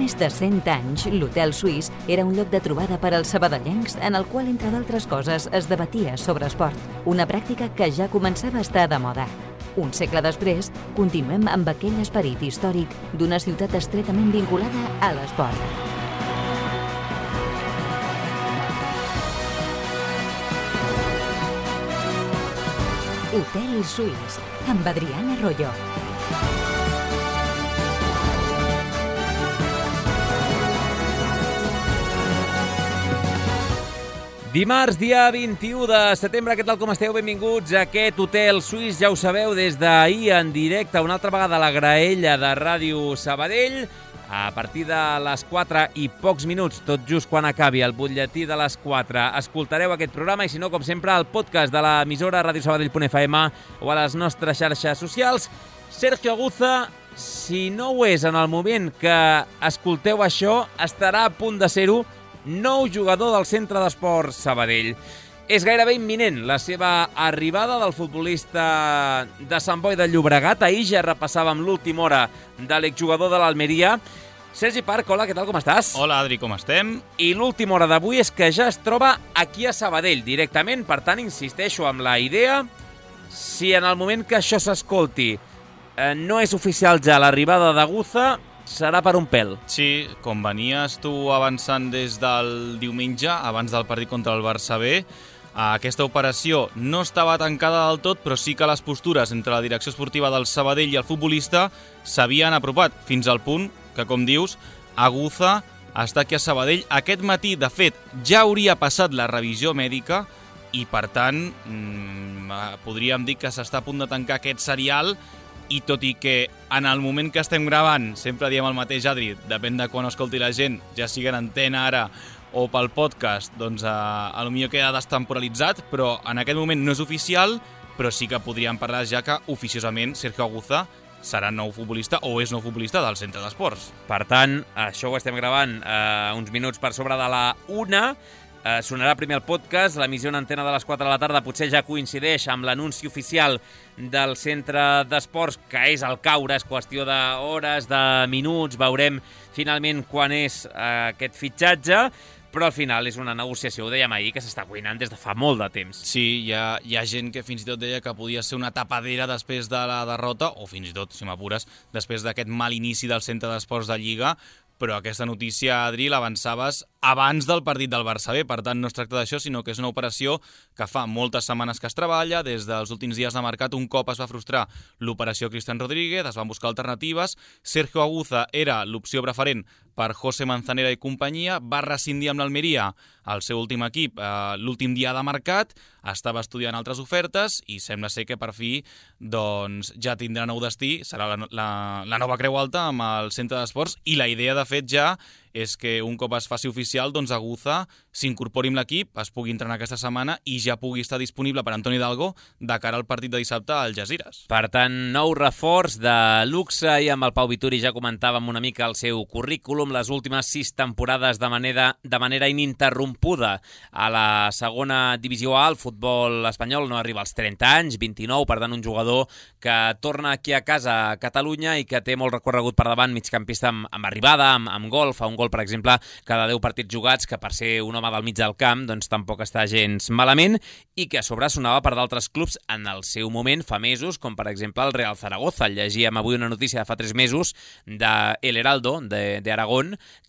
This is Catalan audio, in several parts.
més de 100 anys, l'Hotel Suís era un lloc de trobada per als sabadellencs en el qual, entre d'altres coses, es debatia sobre esport, una pràctica que ja començava a estar de moda. Un segle després, continuem amb aquell esperit històric d'una ciutat estretament vinculada a l'esport. Hotel Suís, amb Adrián Arroyo. Dimarts, dia 21 de setembre, què tal com esteu? Benvinguts a aquest Hotel Suís, ja ho sabeu, des d'ahir en directe, una altra vegada a la graella de Ràdio Sabadell. A partir de les 4 i pocs minuts, tot just quan acabi el butlletí de les 4, escoltareu aquest programa i, si no, com sempre, el podcast de l'emissora radiosabadell.fm o a les nostres xarxes socials. Sergio Aguza, si no ho és en el moment que escolteu això, estarà a punt de ser-ho, nou jugador del Centre d'Esports Sabadell. És gairebé imminent la seva arribada del futbolista de Sant Boi de Llobregat. Ahir ja repassàvem l'última hora de l'exjugador de l'Almeria. Sergi Parc, hola, què tal, com estàs? Hola, Adri, com estem? I l'última hora d'avui és que ja es troba aquí a Sabadell directament. Per tant, insisteixo amb la idea, si en el moment que això s'escolti no és oficial ja l'arribada d'Aguza, serà per un pèl. Sí, com venies tu avançant des del diumenge, abans del partit contra el Barça B, aquesta operació no estava tancada del tot, però sí que les postures entre la direcció esportiva del Sabadell i el futbolista s'havien apropat, fins al punt que, com dius, Aguza està aquí a Sabadell. Aquest matí, de fet, ja hauria passat la revisió mèdica i, per tant, podríem dir que s'està a punt de tancar aquest serial. I tot i que en el moment que estem gravant, sempre diem el mateix, Adri, depèn de quan escolti la gent, ja sigui en antena ara o pel podcast, doncs potser queda destemporalitzat, però en aquest moment no és oficial, però sí que podríem parlar ja que oficiosament Sergio Aguza serà nou futbolista o és nou futbolista del Centre d'Esports. Per tant, això ho estem gravant uns minuts per sobre de la 1. Sonarà primer el podcast, l'emissió en antena de les 4 de la tarda potser ja coincideix amb l'anunci oficial del Centre d'Esports, que és al caure, és qüestió d'hores, de minuts, veurem finalment quan és aquest fitxatge, però al final és una negociació, ho dèiem ahir, que s'està cuinant des de fa molt de temps. Sí, hi ha gent que fins i tot deia que podia ser una tapadera després de la derrota, o fins i tot, si m'apures, després d'aquest mal inici del Centre d'Esports de Lliga, però aquesta notícia, Adri, l'avançaves abans del partit del Barça B. Per tant, no es tracta d'això, sinó que és una operació que fa moltes setmanes que es treballa. Des dels últims dies de mercat, un cop es va frustrar l'operació Cristian Rodríguez, es van buscar alternatives. Sergio Aguza era l'opció preferent per José Manzanera i companyia, va rescindir amb l'Almeria, el seu últim equip, l'últim dia de mercat, estava estudiant altres ofertes i sembla ser que per fi doncs, ja tindrà nou destí, serà la nova Creu Alta amb el Centre d'Esports, i la idea, de fet, ja és que un cop es faci oficial, doncs Aguza s'incorpori amb l'equip, es pugui entrenar aquesta setmana i ja pugui estar disponible per Antoni Hidalgo de cara al partit de dissabte al Algesires. Per tant, nou reforç de luxe, i amb el Pau Vituri ja comentàvem una mica el seu currículum, les últimes 6 temporades de manera ininterrompuda a la segona divisió A. El futbol espanyol no arriba als 30 anys, 29, per tant un jugador que torna aquí a casa a Catalunya i que té molt recorregut per davant, migcampista amb arribada, amb gol, fa un gol, per exemple, cada 10 partits jugats, que per ser un home del mig del camp doncs tampoc està gens malament, i que a sobre sonava per d'altres clubs en el seu moment, fa mesos, com per exemple el Real Zaragoza. Llegíem avui una notícia de fa 3 mesos de El Heraldo, d'Aragón,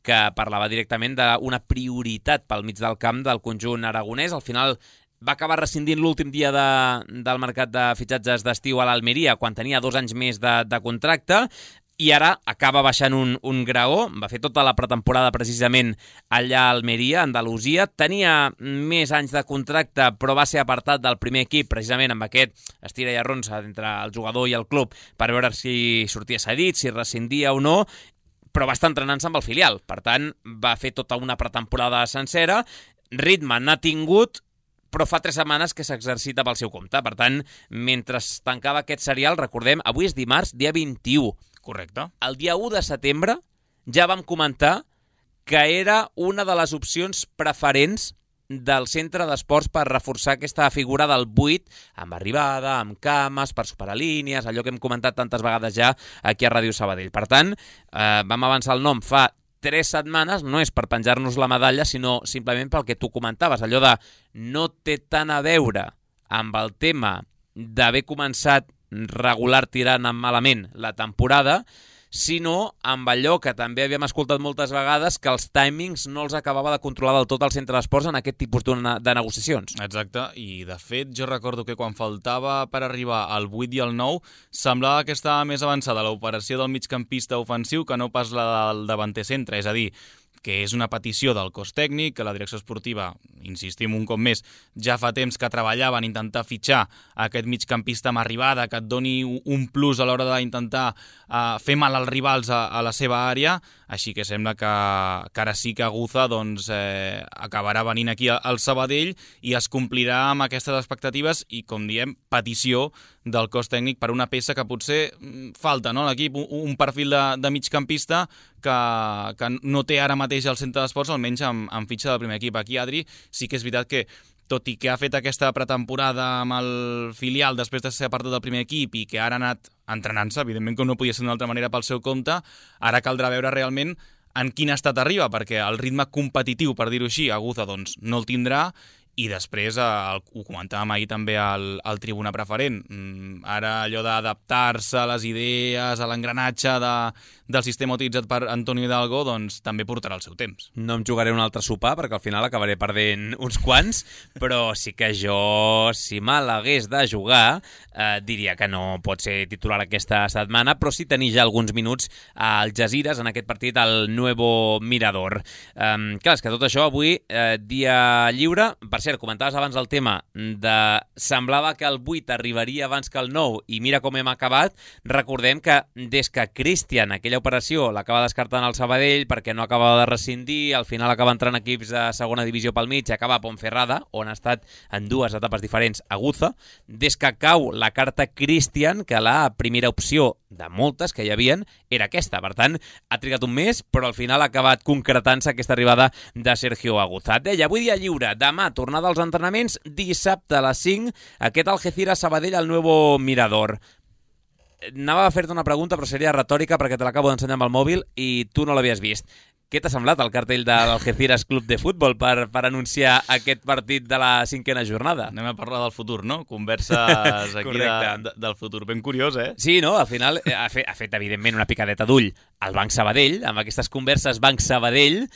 que parlava directament d'una prioritat pel mig del camp del conjunt aragonès. Al final va acabar rescindint l'últim dia del mercat de fitxatges d'estiu a l'Almeria, quan tenia 2 anys més de contracte, i ara acaba baixant un graó. Va fer tota la pretemporada precisament allà a Almeria, Andalusia. Tenia més anys de contracte, però va ser apartat del primer equip precisament amb aquest estira i arronsa entre el jugador i el club per veure si sortia cedit, si rescindia o no, però va estar entrenant-se amb el filial. Per tant, va fer tota una pretemporada sencera. Ritme n'ha tingut, però fa 3 setmanes que s'exercita pel seu compte. Per tant, mentre tancava aquest serial, recordem, avui és dimarts, dia 21. Correcte. El dia 1 de setembre ja vam comentar que era una de les opcions preferents del Centre d'Esports per reforçar aquesta figura del 8, amb arribada, amb cames, per superar línies, allò que hem comentat tantes vegades ja aquí a Ràdio Sabadell. Per tant, vam avançar el nom fa 3 setmanes no és per penjar-nos la medalla, sinó simplement pel que tu comentaves, allò de no té tant a veure amb el tema d'haver començat regular tirant malament la temporada, sinó amb allò que també havíem escoltat moltes vegades, que els timings no els acabava de controlar del tot el centre d'esports en aquest tipus de negociacions. Exacte, i de fet jo recordo que quan faltava per arribar al 8 i al 9 semblava que estava més avançada l'operació del migcampista ofensiu que no pas la del davanter centre, és a dir, que és una petició del cos tècnic, que la direcció esportiva, insistim un cop més, ja fa temps que treballaven en intentar fitxar aquest migcampista amb arribada, que et doni un plus a l'hora d'intentar fer mal als rivals a la seva àrea, així que sembla que ara sí que Aguza acabarà venint aquí al Sabadell i es complirà amb aquestes expectatives i, com diem, petició del cos tècnic per una peça que potser falta, no?, a l'equip, un perfil de migcampista que no té ara mateix al centre d'esports, almenys amb fitxa del primer equip. Aquí, Adri, sí que és veritat que, tot i que ha fet aquesta pretemporada amb el filial després de ser apartat del primer equip i que ara ha anat entrenant-se, evidentment que no podia ser d'una altra manera pel seu compte, ara caldrà veure realment en quin estat arriba, perquè el ritme competitiu, per dir-ho així, Aguza doncs, no el tindrà. I després, ho comentàvem ahir també al Tribuna Preferent, ara allò d'adaptar-se a les idees, a l'engranatge del sistema utilitzat per Antonio Hidalgo, doncs també portarà el seu temps. No em jugaré un altre sopar, perquè al final acabaré perdent uns quants, però sí que jo, si me l'hagués de jugar, diria que no pot ser titular aquesta setmana, però sí tenir ja alguns minuts al Algesires en aquest partit al Nuevo Mirador. Clar, és que tot això avui, dia lliure, per cert, comentaves abans el tema de semblava que el 8 arribaria abans que el 9 i mira com hem acabat. Recordem que des que Cristian aquella operació l'acaba descartant al Sabadell perquè no acabava de rescindir, al final acaba entrant equips de segona divisió pel mig i acaba a Ponferrada, on ha estat en 2 etapes diferents Aguza. Des que cau la carta Cristian, que la primera opció de moltes que hi havien era aquesta. Per tant, ha trigat un mes, però al final ha acabat concretant-se aquesta arribada de Sergio Aguza. Deia, avui dia lliure, demà tornada als entrenaments, dissabte a les 5, aquest Algeciras-Sabadell al Nuevo Mirador. Anava a fer-te una pregunta, però seria retòrica perquè te l'acabo d'ensenyar amb el mòbil i tu no l'havies vist. Què t'ha semblat el cartell de l'Algeciras Club de Futbol per anunciar aquest partit de la 5a jornada? Anem a parlar del futur, no? Converses aquí del futur. Ben curiós, eh? Sí, no? Al final ha fet evidentment, una picadeta d'ull al Banc Sabadell, amb aquestes converses Banc Sabadell,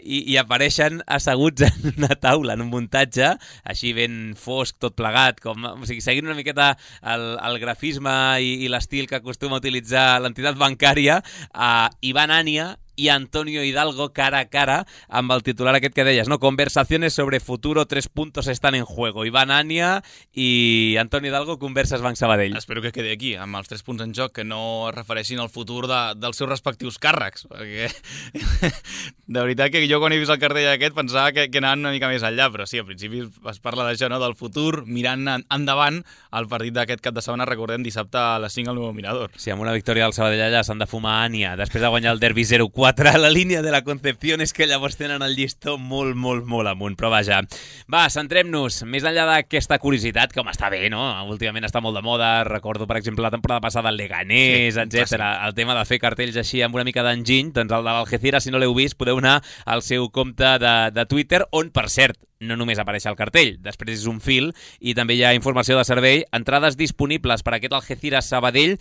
i apareixen asseguts en una taula, en un muntatge, així ben fosc, tot plegat, o sigui, seguint una miqueta el grafisme i l'estil que acostuma a utilitzar l'entitat bancària, Iván Ania i Antonio Hidalgo cara a cara amb el titular aquest que deies, no? Conversaciones sobre futuro, 3 puntos están en juego. Iván Ania i Antonio Hidalgo, converses Banc Sabadell. Espero que quedi aquí, amb els 3 punts en joc, que no es refereixin al futur dels seus respectius càrrecs, perquè de veritat que jo quan he vist el cartell aquest pensava que anaven una mica més enllà, però sí, al principi es parla d'això, no? Del futur, mirant endavant el partit d'aquest cap de setmana, recordem, dissabte a les 5 al Nuevo Mirador. Sí, amb una victòria del Sabadell allà s'han de fumar Ania, després de guanyar el derbi 0-4 a la línia de la Concepción, és que llavors tenen el llistó molt, molt, molt amunt, però vaja. Va, centrem-nos, més enllà d'aquesta curiositat, que està bé, no? Últimament està molt de moda, recordo, per exemple, la temporada passada el Leganés, sí, etc. El tema de fer cartells així amb una mica d'enginy, doncs el de l'Algeciras, si no l'heu vist, podeu anar al seu compte de Twitter, on, per cert, no només apareix el cartell, després és un fil i també hi ha informació de servei, entrades disponibles per aquest Algeciras-Sabadell.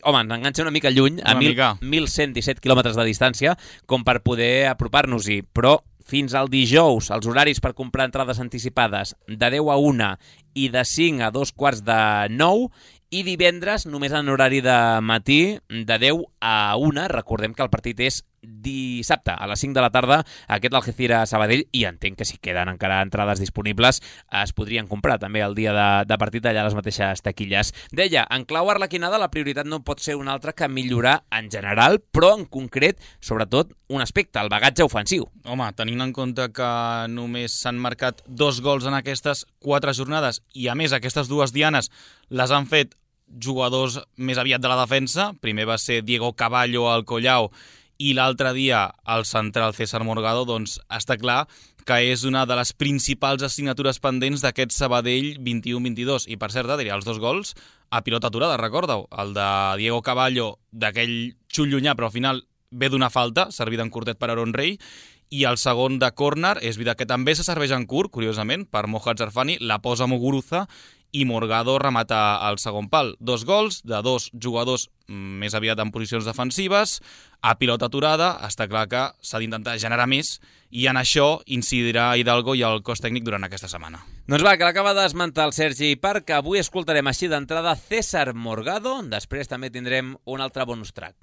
Home, ens enganxa una mica lluny, a 1.117 quilòmetres de distància, com per poder apropar-nos-hi, però fins al dijous, els horaris per comprar entrades anticipades de 10 a 1 i de 5 a 2:45, i divendres només en horari de matí de 10 a 1. Recordem que el partit és dissabte a les 5 de la tarda, aquest Algeciras-Sabadell, i entenc que si queden encara entrades disponibles es podrien comprar també el dia de partit allà a les mateixes taquilles. Deia, en clau arlequinada la prioritat no pot ser una altra que millorar en general, però en concret, sobretot, un aspecte, el bagatge ofensiu. Home, tenint en compte que només s'han marcat 2 gols en aquestes 4 jornades i a més aquestes 2 dianes les han fet jugadors més aviat de la defensa, primer va ser Diego Caballo al Collao i l'altre dia el central César Morgado, doncs està clar que és una de les principals assignatures pendents d'aquest Sabadell 21-22. I per cert, Adri, els 2 gols a pilota aturada, recorda-ho. El de Diego Caballo, d'aquell xut llunyà, però al final ve d'una falta, servida en curtet per Aaron Rey, i el segon de córner és veritat que també se serveix en curt, curiosament, per Mohamed Zarfani, la posa Muguruza i Morgado remata al segon pal. 2 gols de 2 jugadors més aviat en posicions defensives, a pilota aturada, està clar que s'ha d'intentar generar més i en això incidirà Hidalgo i el cos tècnic durant aquesta setmana. Doncs va, que l'acaba d'esmentar el Sergi Parc, que avui escoltarem així d'entrada César Morgado, després també tindrem un altre bonus track.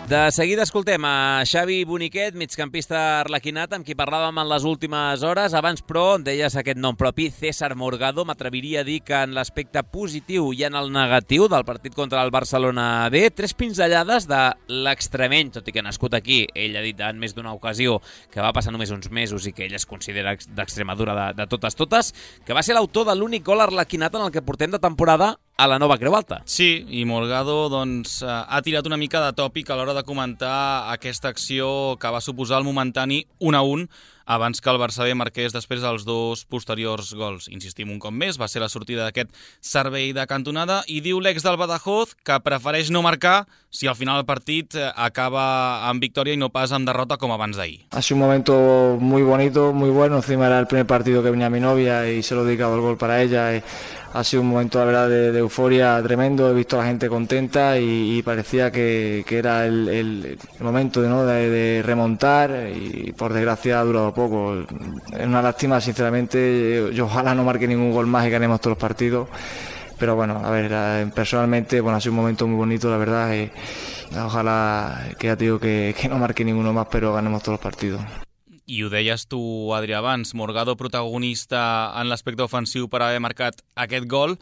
De seguida escoltem a Xavi Boniquet, migcampista arlequinat, amb qui parlàvem en les últimes hores. Abans, però, deies aquest nom propi, César Morgado. M'atreviria a dir que en l'aspecte positiu i en el negatiu del partit contra el Barcelona B, 3 pinzellades de l'extremeny, tot i que nascut aquí, ell ha dit en més d'una ocasió que va passar només uns mesos i que ell es considera d'Extremadura de totes, que va ser l'autor de l'únic gol arlequinat en el que portem de temporada a la nova Creu Alta. Sí, i Morgado ha tirat una mica de tòpic a l'hora de comentar aquesta acció que va suposar el momentani 1-1 abans que el Barça B marqués després dels 2 posteriors gols. Insistim un cop més, va ser la sortida d'aquest servei de cantonada i diu l'ex del Badajoz que prefereix no marcar si al final el partit acaba amb victòria i no pas amb derrota com abans d'ahir. Ha sido un momento muy bonito, muy bueno. Encima era el primer partido que venía mi novia y se lo he dedicado el gol para ella. Ha sido un momento, la verdad, de euforia tremendo. He visto a la gente contenta y parecía que era el momento de remontar y por desgracia ha durado poco. Es una lástima, sinceramente. Yo ojalá no marque ningún gol más y ganemos todos los partidos. Pero bueno, a ver, personalmente ha sido un momento muy bonito, la verdad. Ojalá que ya te digo que no marque ninguno más, pero ganemos todos los partidos. I ho deies tu, Adri, abans, Morgado protagonista en l'aspecte ofensiu per haver marcat aquest gol,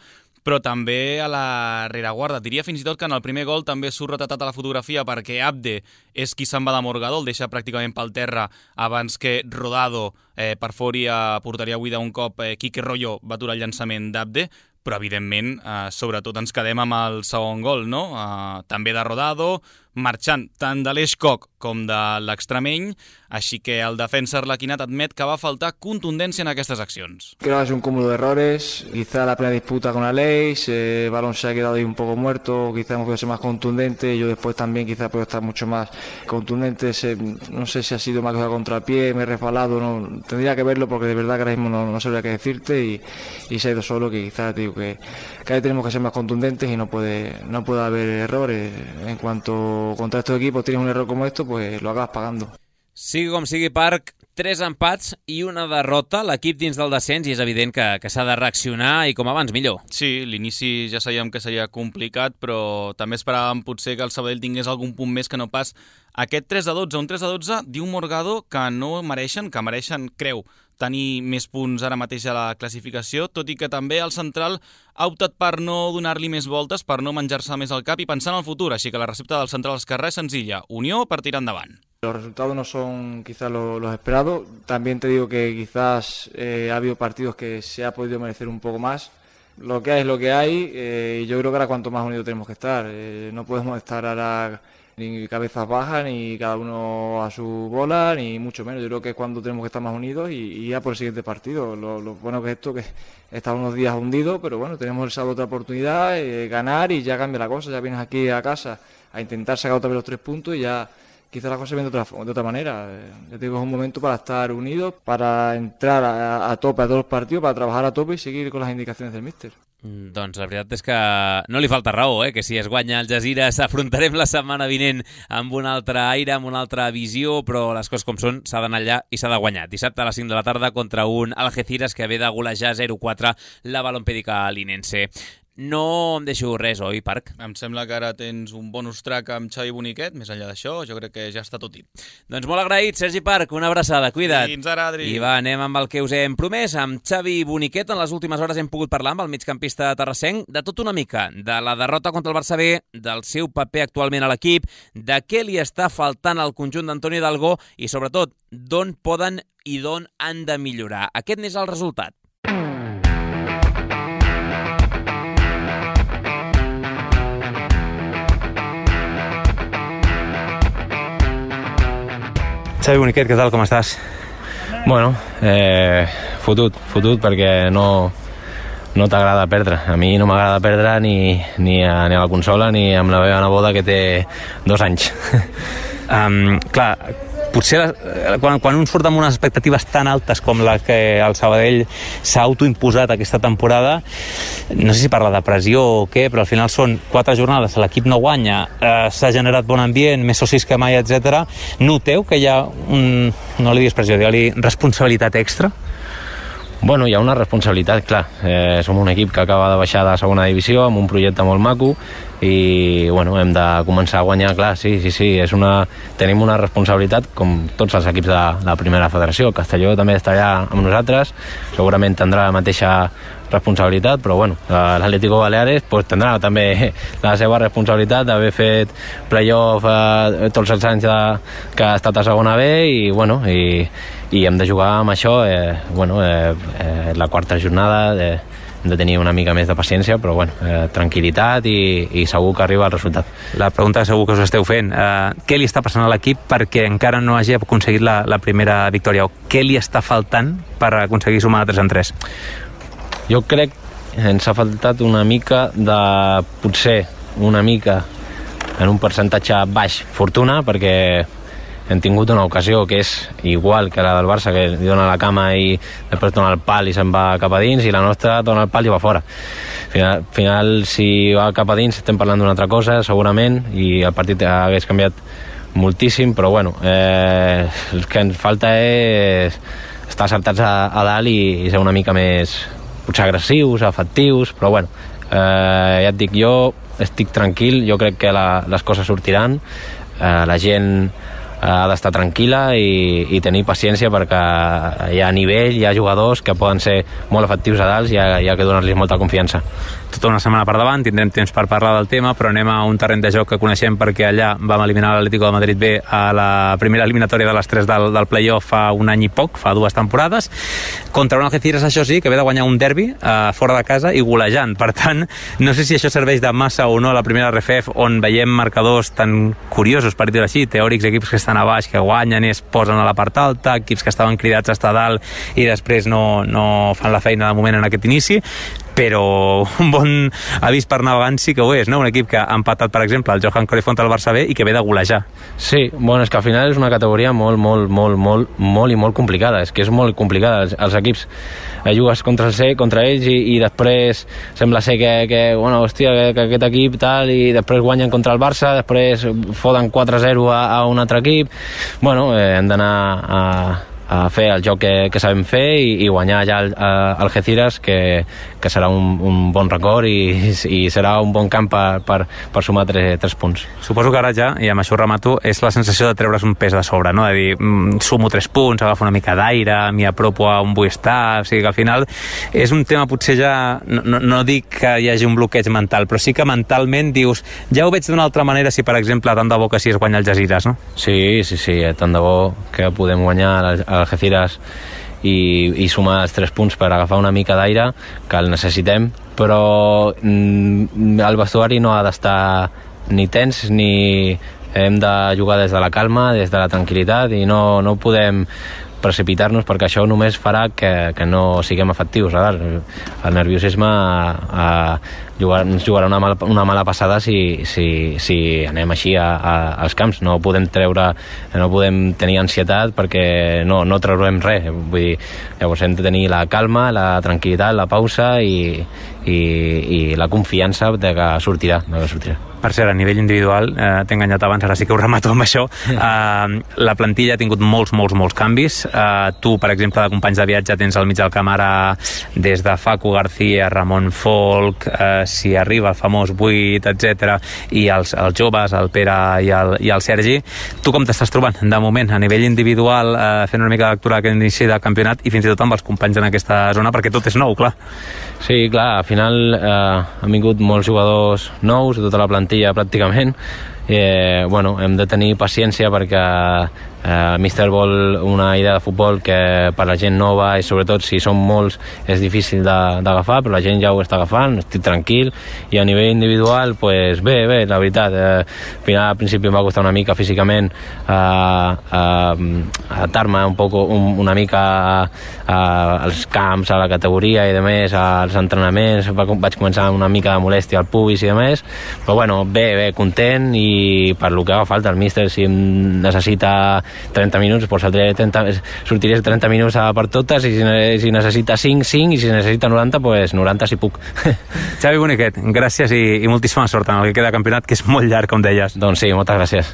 però també a la rereguarda. Diria fins i tot que en el primer gol també surt retratat a la fotografia perquè Abde és qui se'n va de Morgado, el deixa pràcticament pel terra abans que Rodado perfori a porteria buida un cop Quique Rollo va aturar el llançament d'Abde, però evidentment, sobretot ens quedem amb el segon gol, no? També de Rodado, marxant tant de l'Eixcoc com de l'extremeny, així que el defensa arlequinat admet que va faltar contundència en aquestes accions. Creo que es un cúmulo de errores, quizá la primera disputa con Aleix, el balón se ha quedado ahí un poco muerto, quizá hemos podido ser más contundentes, yo después también quizá puedo estar mucho más contundente, no sé si ha sido más cosa contra el pie, me he resbalado, no, tendría que verlo porque de verdad que ahora mismo no sabría qué decirte y se ha ido solo, que quizá digo que ahí tenemos que ser más contundentes y no puede haber errores. En cuanto contra estos equipos tienes un error como esto, pues lo acabas pagando. Sigui com sigui, Parc, 3 empats i una derrota, l'equip dins del descens, i és evident que s'ha de reaccionar i com abans millor. Sí, l'inici ja sabíem que seria complicat, però també esperàvem potser que el Sabadell tingués algun punt més que no pas aquest 3-12. Un 3-12 diu Morgado que no mereixen, que mereixen, creu, tenir més punts ara mateix a la classificació, tot i que també el central ha optat per no donar-li més voltes, per no menjar-se més el cap i pensar en el futur, així que la recepta del central esquerrà és senzilla, unió per tirar endavant. Los resultados no son quizás los esperados. También te digo que quizás ha habido partidos que se ha podido merecer un poco más. Lo que hay es lo que hay y yo creo que ahora cuanto más unidos tenemos que estar. No podemos estar ahora ni cabezas bajas, ni cada uno a su bola, ni mucho menos. Yo creo que es cuando tenemos que estar más unidos y ya por el siguiente partido. Lo bueno que es esto, que está unos días hundidos, pero bueno, tenemos el sábado otra oportunidad, ganar y ya cambia la cosa. Ya vienes aquí a casa a intentar sacar otra vez los 3 puntos y ya quizás la cosa se ve de otra manera. Ya te digo, es un momento para estar unidos, para entrar a tope a todos los partidos, para trabajar a tope y seguir con las indicaciones del míster. Doncs la veritat és que no li falta raó, que si es guanya el Algesires afrontarem la setmana vinent amb un altre aire, amb una altra visió, però les coses com són, s'ha d'anar allà i s'ha de guanyar. Dissabte a les 5 de la tarda contra un Algeciras que ve de golejar 0-4 la Balompèdica linense. No em deixo res, oi, Parc? Em sembla que ara tens un bonus track amb Xavi Boniquet. Més enllà d'això, jo crec que ja està tot dit. Doncs molt agraït, Sergi Parc, una abraçada, cuida't. Fins ara, Adri. I va, anem amb el que us hem promès. Amb Xavi Boniquet, en les últimes hores hem pogut parlar amb el migcampista terrassenc de tot una mica, de la derrota contra el Barça B, del seu paper actualment a l'equip, de què li està faltant al conjunt d'Antoni Hidalgo i, sobretot, d'on poden i d'on han de millorar. Aquest n'és el resultat. Xavi Boniquet, què tal, com estàs? Bueno, fotut perquè no no t'agrada perdre. A mi no m'agrada perdre ni a la consola ni amb la meva neboda que té 2 anys. Clar, potser quan un surt amb unes expectatives tan altes com la que el Sabadell s'ha autoimposat aquesta temporada, no sé si parla de pressió o què, però al final són 4 jornades, l'equip no guanya, s'ha generat bon ambient, més socis que mai, etc. Noteu que hi ha no li diguis pressió, digue-li responsabilitat extra? Bueno, hi ha una responsabilitat, clar. Som un equip que acaba de baixar de segona divisió amb un projecte molt maco i bueno, hem de començar a guanyar, clar, sí, tenim una responsabilitat com tots els equips de la primera federació. El Castelló també està allà amb nosaltres, segurament tindrà la mateixa responsabilitat, però bueno, l'Atlético Baleares pues, tindrà també la seva responsabilitat d'haver fet playoff tots els anys que ha estat a segona B i bueno, i hem de jugar amb això, la 4ª jornada, hem de tenir una mica més de paciència, però bueno, tranquil·litat i segur que arriba el resultat. La pregunta que segur que us esteu fent, què li està passant a l'equip perquè encara no hagi aconseguit la primera victòria, o què li està faltant per aconseguir sumar 3 en 3? Jo crec que ens ha faltat una mica potser una mica en un percentatge baix fortuna, perquè hem tingut una ocasió que és igual que la del Barça, que li dona la cama i després dona el pal i se'n va cap a dins, i la nostra dona el pal i va fora. Al final, si va cap a dins, estem parlant d'una altra cosa, segurament, i el partit hagués canviat moltíssim, però bueno, el que ens falta és estar acertats a dalt i ser una mica més, potser agressius, efectius, però bueno, ja et dic, jo estic tranquil, jo crec que les coses sortiran, la gent ha d'estar tranquil·la i tenir paciència, perquè hi ha nivell, hi ha jugadors que poden ser molt efectius a dalt i hi ha que donar-los molta confiança. Tota una setmana per davant, tindrem temps per parlar del tema, però anem a un terreny de joc que coneixem perquè allà vam eliminar l'Atlético de Madrid B a la primera eliminatòria de les 3 del playoff fa un any i poc, fa 2 temporades, contra un Algeciras, això sí, que ve de guanyar un derbi fora de casa i golejant. Per tant, no sé si això serveix de massa o no a la primera RFF, on veiem marcadors tan curiosos, per dir-ho així, teòrics, equips que estan a baix, que guanyen i es posen a la part alta, equips que estaven cridats a estar dalt i després no fan la feina de moment en aquest inici, però un bon avís per navegant sí que ho és, no? Un equip que ha empatat, per exemple, el Johan Cruyff contra el Barça B i que ve de golejar. Sí, bueno, és que al final és una categoria molt i molt complicada, és que és molt complicada. Els equips jugues contra ells i després sembla ser que aquest equip tal, i després guanyen contra el Barça, després foten 4-0 a un altre equip. Bueno, hem d'anar a fer el joc que sabem fer i guanyar ja el Algeciras, que serà un bon record i serà un bon camp per sumar 3 punts. Suposo que ara ja, i amb això remato, és la sensació de treure's un pes de sobre, no? De dir, sumo 3 punts, agafo una mica d'aire, m'hi apropo a un Buestar, o sigui que al final és un tema potser ja, no dic que hi hagi un bloqueig mental, però sí que mentalment dius, ja ho veig d'una altra manera si, per exemple, tant de bo que si es guanya el Algeciras, no? Sí, tant de bo que podem guanyar Algeciras i sumar els 3 punts per agafar una mica d'aire, que el necessitem, però el vestuari no ha d'estar ni tens ni hem de jugar des de la calma, des de la tranquil·litat, i no podem precipitar-nos, perquè això només farà que no siguem efectius. El nerviosisme ens jugarà una mala passada si anem així als camps. No podem tenir ansietat perquè no traurem res. Vull dir, llavors hem de tenir la calma, la tranquil·litat, la pausa i la confiança de que sortirà. Per cert, a nivell individual, t'he enganyat abans, ara sí que ho remato amb això, la plantilla ha tingut molts canvis. Tu, per exemple, de companys de viatge tens al mig del camp ara des de Facu García, Ramon Folk, si arriba el famós 8, etc, i els joves, el Pere i el Sergi. Tu com t'estàs trobant de moment a nivell individual, fent una mica de lectura d'aquest inici de campionat i fins i tot amb els companys en aquesta zona, perquè tot és nou, clar. Sí, clar, al final han vingut molts jugadors nous, tota la plantilla pràcticament. Hem de tenir paciència perquè El míster vol una idea de futbol que per la gent nova i sobretot si són molts és difícil d'agafar, però la gent ja ho està agafant, estic tranquil, i a nivell individual pues, bé, la veritat, al principi em va costar una mica físicament adaptar-me una mica als camps, a la categoria i demés, als entrenaments, vaig començar una mica de molèstia al pubis i demés, però bueno, bé, content, i per lo que haga falta el míster, si em necessita 30 minuts, doncs sortiré 30 minuts per totes, i si necessita 5, i si necessita 90, doncs 90 si puc. Xavi Boniquet, gràcies i moltíssima sort en el que queda campionat, que és molt llarg, com deies. Doncs sí, moltes gràcies.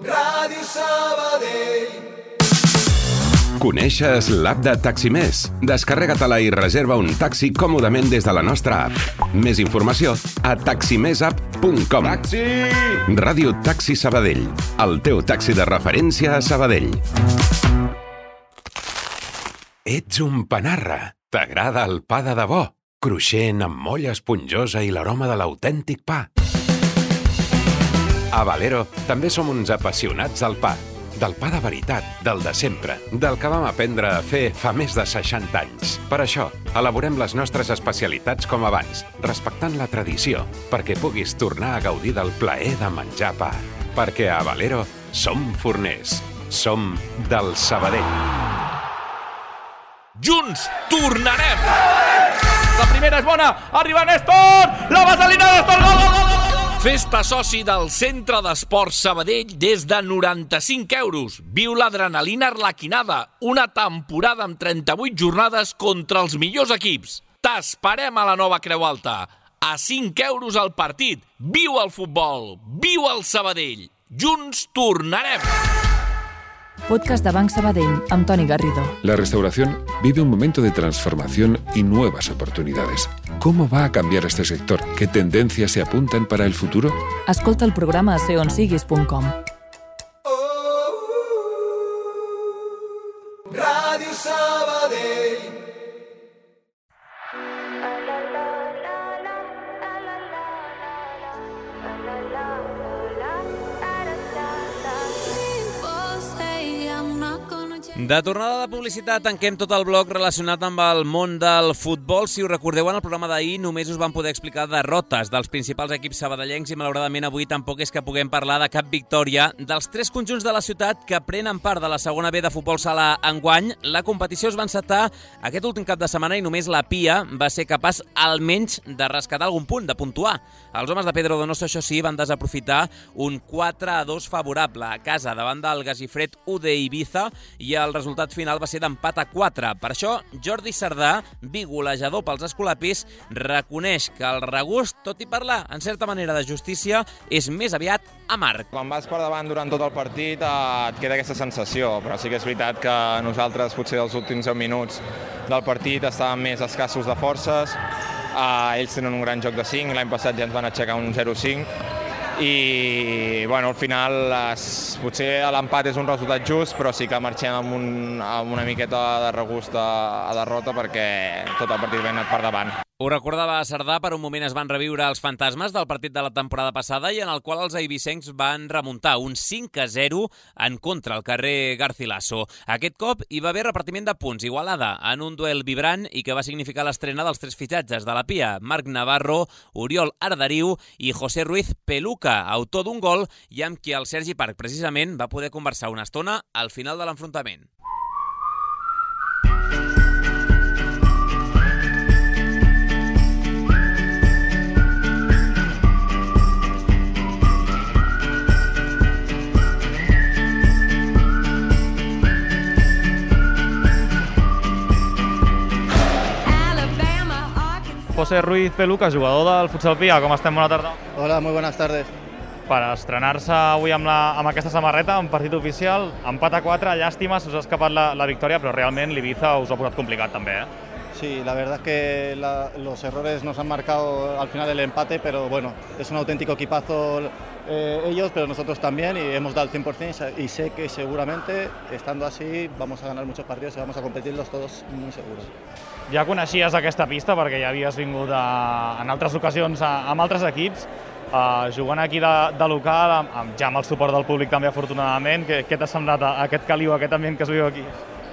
Ràdio Sabadell. Coneixes l'app de Taximés? Descarrega-te-la i reserva un taxi còmodament des de la nostra app. Més informació a taximesapp.com. Taxi! Ràdio Taxi Sabadell, el teu taxi de referència a Sabadell. Ets un panarra. T'agrada el pa de debò? Cruixent, amb molla esponjosa i l'aroma de l'autèntic pa. A Valero també som uns apassionats del pa. Del pa de veritat, del de sempre, del que vam aprendre a fer fa més de 60 anys. Per això, elaborem les nostres especialitats com abans, respectant la tradició, perquè puguis tornar a gaudir del plaer de menjar pa. Perquè a Valero som forners, som del Sabadell. Junts tornarem! La primera és bona, arriba Néstor! La vaselina Néstor, gol! Festa soci del Centre d'Esports Sabadell des de 95 euros. Viu l'adrenalina arlequinada. Una temporada amb 38 jornades contra els millors equips. T'esperem a la nova Creu Alta. A 5 euros al partit. Viu el futbol. Viu el Sabadell. Junts tornarem. Podcast de Banc Sabadell, amb Toni Garrido. La restauración vive un momento de transformación y nuevas oportunidades. ¿Cómo va a cambiar este sector? ¿Qué tendencias se apuntan para el futuro? Escolta el programa a seonsiguis.com. Ràdio Sabadell. De tornada de publicitat, tanquem tot el bloc relacionat amb el món del futbol. Si us recordeu, en el programa d'ahir només us vam poder explicar derrotes dels principals equips sabadellencs i malauradament avui tampoc és que puguem parlar de cap victòria dels 3 conjunts de la ciutat que prenen part de la segona B de futbol sala enguany. La competició es va encetar aquest últim cap de setmana i només la Pia va ser capaç almenys de rescatar algun punt, de puntuar. Els homes de Pedro Donoso, això sí, van desaprofitar un 4-2 favorable a casa davant del Gasifred UD Ibiza i el resultat final va ser d'empat a 4. Per això, Jordi Sardà, bigolejador pels escolapis, reconeix que el regust, tot i parlar en certa manera de justícia, és més aviat amarg. Quan vas per davant durant tot el partit et queda aquesta sensació, però sí que és veritat que nosaltres potser els últims 10 minuts del partit estàvem més escassos de forces, ells tenen un gran joc de 5, l'any passat ja ens van aixecar un 0-5, i bueno, al final potser l'empat és un resultat just, però sí que marxem amb una miqueta de regust a derrota perquè tot el partit va anat per davant. Ho recordava Sardà, per un moment es van reviure els fantasmes del partit de la temporada passada i en el qual els eivissencs van remuntar un 5-0 en contra al carrer Garcilaso. Aquest cop hi va haver repartiment de punts, Igualada, en un duel vibrant i que va significar l'estrena dels 3 fitxatges de la Pia, Marc Navarro, Oriol Arderiu i José Ruiz Peluca, autor d'un gol i amb qui el Sergi Parc precisament va poder conversar una estona al final de l'enfrontament. José Ruiz Peluca, jugador del Futsal Pia, com estem? Bona tarda. Hola, muy buenas tardes. Per estrenar-se avui amb aquesta samarreta, en partit oficial, empat a 4, llàstima, se us ha escapat la victòria, però realment l'Ibiza us ha posat complicat també, Sí, la verdad es que los errores nos han marcado al final el empate, pero bueno, es un auténtico equipazo ellos, pero nosotros también, y hemos dado el 100% y sé que seguramente, estando así, vamos a ganar muchos partidos y vamos a competirlos todos muy seguros. Ja coneixies aquesta pista perquè ja havies vingut en altres ocasions amb altres equips. jugant aquí de local, ja amb el suport del públic també afortunadament, què t'ha semblat aquest caliu, aquest ambient que es viu aquí?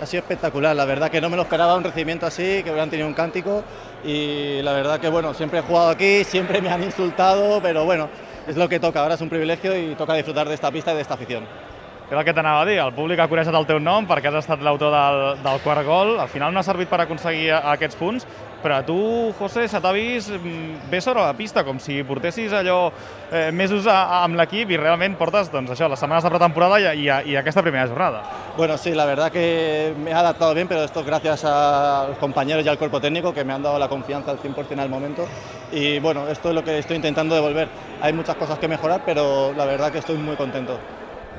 Ha sido espectacular, la verdad que no me lo esperaba un recibimiento así, que hubieran tenido un cántico y la verdad que bueno, siempre he jugado aquí, siempre me han insultado, pero bueno, es lo que toca, ahora es un privilegio y toca disfrutar de esta pista y de esta afición. És el que t'anava a dir, el públic ha coneixet el teu nom perquè has estat l'autor del quart gol, al final no ha servit per aconseguir aquests punts, però a tu, José, se t'ha vist bé sobre la pista, com si portessis allò mesos amb l'equip i realment portes doncs, això, les setmanes de pretemporada i aquesta primera jornada. Bueno, sí, la verdad que me he adaptado bien, pero esto es gracias a los compañeros y al cuerpo técnico que me han dado la confianza al 100% al momento y bueno, esto es lo que estoy intentando devolver. Hay muchas cosas que mejorar, pero la verdad que estoy muy contento.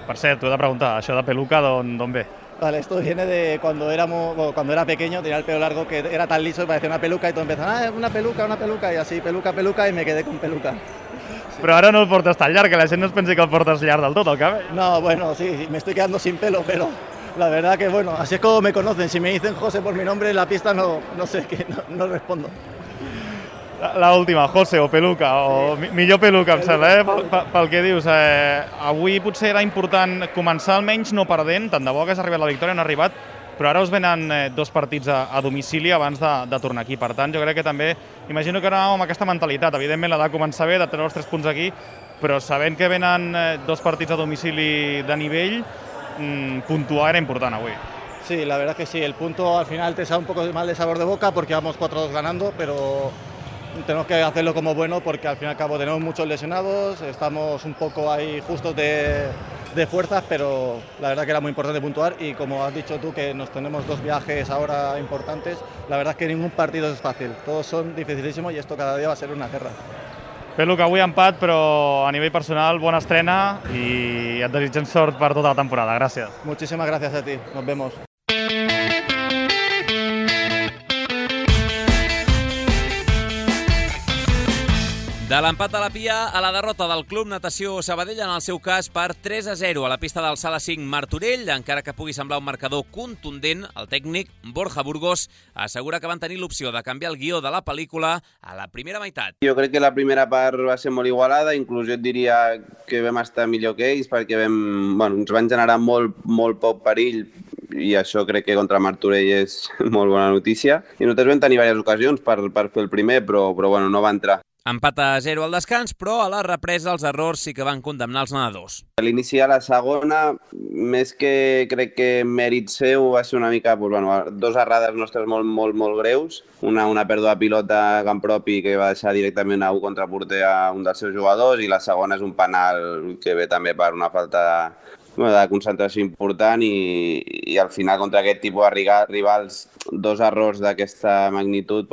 Per cert, t'ho he de preguntar, això de peluca d'on ve? Vale, esto viene de cuando era pequeño, tenía el pelo largo que era tan liso que parecía una peluca y todos empezaron, una peluca y así, peluca y me quedé con peluca. Sí. Però ara no el portes tan llarg, que la gent no es pensi que el portes llarg del tot, el cabell. No, bueno, sí, me estoy quedando sin pelo, pero la verdad que bueno, así es como me conocen. Si me dicen José por mi nombre en la pista no sé, que no respondo. La última, José o peluca, o millor peluca, em sembla, pel que dius. Avui potser era important començar almenys no perdent, tant de bo que has arribat la victòria, no ha arribat, però ara us venen 2 partits a domicili abans de tornar aquí. Per tant, jo crec que també, imagino que anàvem amb aquesta mentalitat, evidentment la de començar bé, de treure els 3 punts aquí, però sabent que venen 2 partits a domicili de nivell, puntuar era important avui. Sí, la verdad que sí, el punto al final te sabe un poco mal de sabor de boca porque vamos 4-2 ganando, pero tenemos que hacerlo como bueno porque al fin y al cabo tenemos muchos lesionados, estamos un poco ahí justos de fuerzas, pero la verdad que era muy importante puntuar y como has dicho tú que nos tenemos 2 viajes ahora importantes, la verdad es que ningún partido es fácil, todos son dificilísimos y esto cada día va a ser una guerra. Peluca, avui empat, però a nivell personal bona estrena i et desitgem sort per tota la temporada. Gràcies. Muchísimas gracias a ti, nos vemos. De l'empat a la Pia a la derrota del Club Natació Sabadell, en el seu cas per 3-0 a la pista del Sala 5 Martorell. Encara que pugui semblar un marcador contundent, el tècnic Borja Burgos assegura que van tenir l'opció de canviar el guió de la pel·lícula a la primera meitat. Jo crec que la primera part va ser molt igualada, inclús jo et diria que vam estar millor que ells perquè ens van generar molt poc perill i això crec que contra Martorell és molt bona notícia. I nosaltres vam tenir diverses ocasions per fer el primer, però no va entrar. Empat a 0 al descans, però a la represa els errors sí que van condemnar els nedadors. A l'inici de la segona, més que crec que mèrit seu, va ser una mica 2 errades nostres molt greus. Una pèrdua de pilota a camp propi que va deixar directament a un contraporter a un dels seus jugadors i la segona és un penal que ve també per una falta de concentració important i al final contra aquest tipus de rivals 2 errors d'aquesta magnitud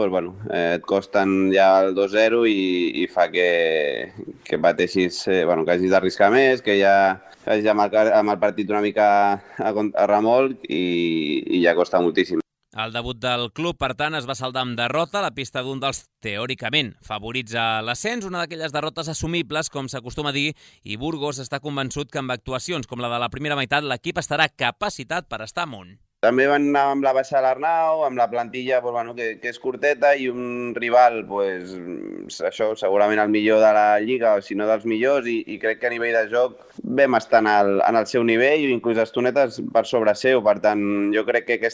et costen ja el 2-0 i fa que pateixis, que hagis d'arriscar més, que ja hagis de marcar amb el partit una mica a remolc i ja costa moltíssim. El debut del club, per tant, es va saldar amb derrota a la pista d'un dels, teòricament, favorits a l'ascens, una d'aquelles derrotes assumibles, com s'acostuma a dir, i Burgos està convençut que amb actuacions com la de la primera meitat l'equip estarà capacitat per estar amunt. També van anar amb la baixa de l'Arnau, amb la plantilla que és curteta i un rival, això, segurament el millor de la Lliga, o si no dels millors, i crec que a nivell de joc vam estar en el seu nivell, inclús estonetes per sobre seu. Per tant, jo crec que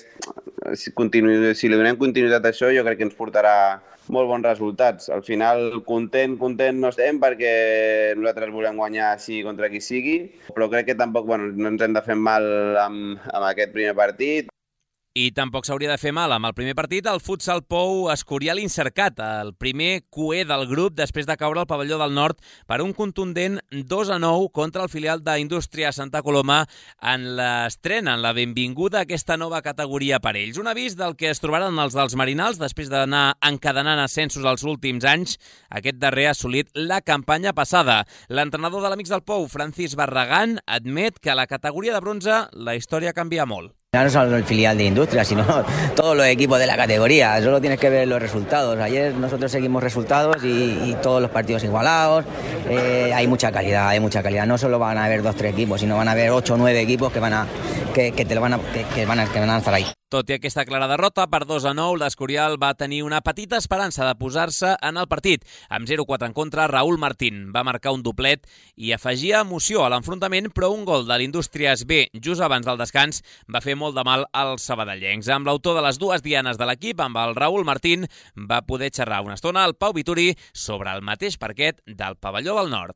si li donem continuïtat a això, jo crec que ens portarà molt bons resultats. Al final, content no estem perquè nosaltres volem guanyar així contra qui sigui, però crec que tampoc no ens hem de fer mal amb aquest primer partit. I tampoc s'hauria de fer mal amb el primer partit el Futsal Pou Escorial Incercat, el primer cué del grup després de caure al pavelló del Nord per un contundent 2-9 contra el filial d'Indústria Santa Coloma en l'estrena, en la benvinguda a aquesta nova categoria per ells. Un avís del que es trobaran els dels Marinals després d'anar encadenant ascensos els últims anys. Aquest darrer ha assolit la campanya passada. L'entrenador de l'Amics del Pou, Francis Barragán, admet que a la categoria de bronze la història canvia molt. Ya no solo el filial de Industria, sino todos los equipos de la categoría. Solo tienes que ver los resultados. Ayer nosotros seguimos resultados y todos los partidos igualados. Hay mucha calidad. No solo van a haber 2-3 equipos, sino van a haber 8 o 9 equipos que que van a estar ahí. Tot i aquesta clara derrota, per 2-9, l'Escorial va tenir una petita esperança de posar-se en el partit. Amb 0-4 en contra, Raúl Martín va marcar un doblet i afegia emoció a l'enfrontament, però un gol de l'Indústries B just abans del descans va fer molt de mal als sabadellencs. Amb l'autor de les dues dianes de l'equip, amb el Raúl Martín, va poder xerrar una estona al Pau Vituri sobre el mateix parquet del pavelló del Nord.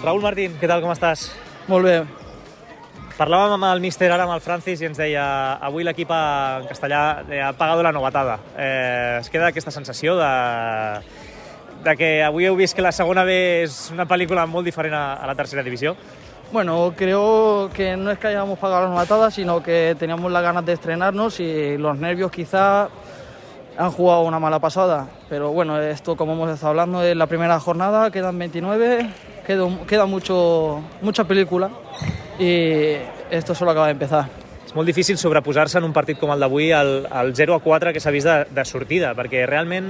Raúl Martín, què tal, com estàs? Molt bé. Parlàvem amb el míster ara, amb el Francis, i ens deia avui l'equip en castellà ha pagat la novatada. Es queda aquesta sensació de que avui heu vist que la segona B és una pel·lícula molt diferent a la tercera divisió? Bueno, creo que no es que hayamos pagado la novatada, sino que teníamos las ganas de estrenarnos y los nervios quizá han jugado una mala pasada. Pero bueno, esto, como hemos estado hablando, es la primera jornada, quedan 29, queda mucha película y esto solo acaba de empezar. És molt difícil sobreposar-se en un partit com el d'avui al 0-4 que s'ha vist de sortida, perquè realment,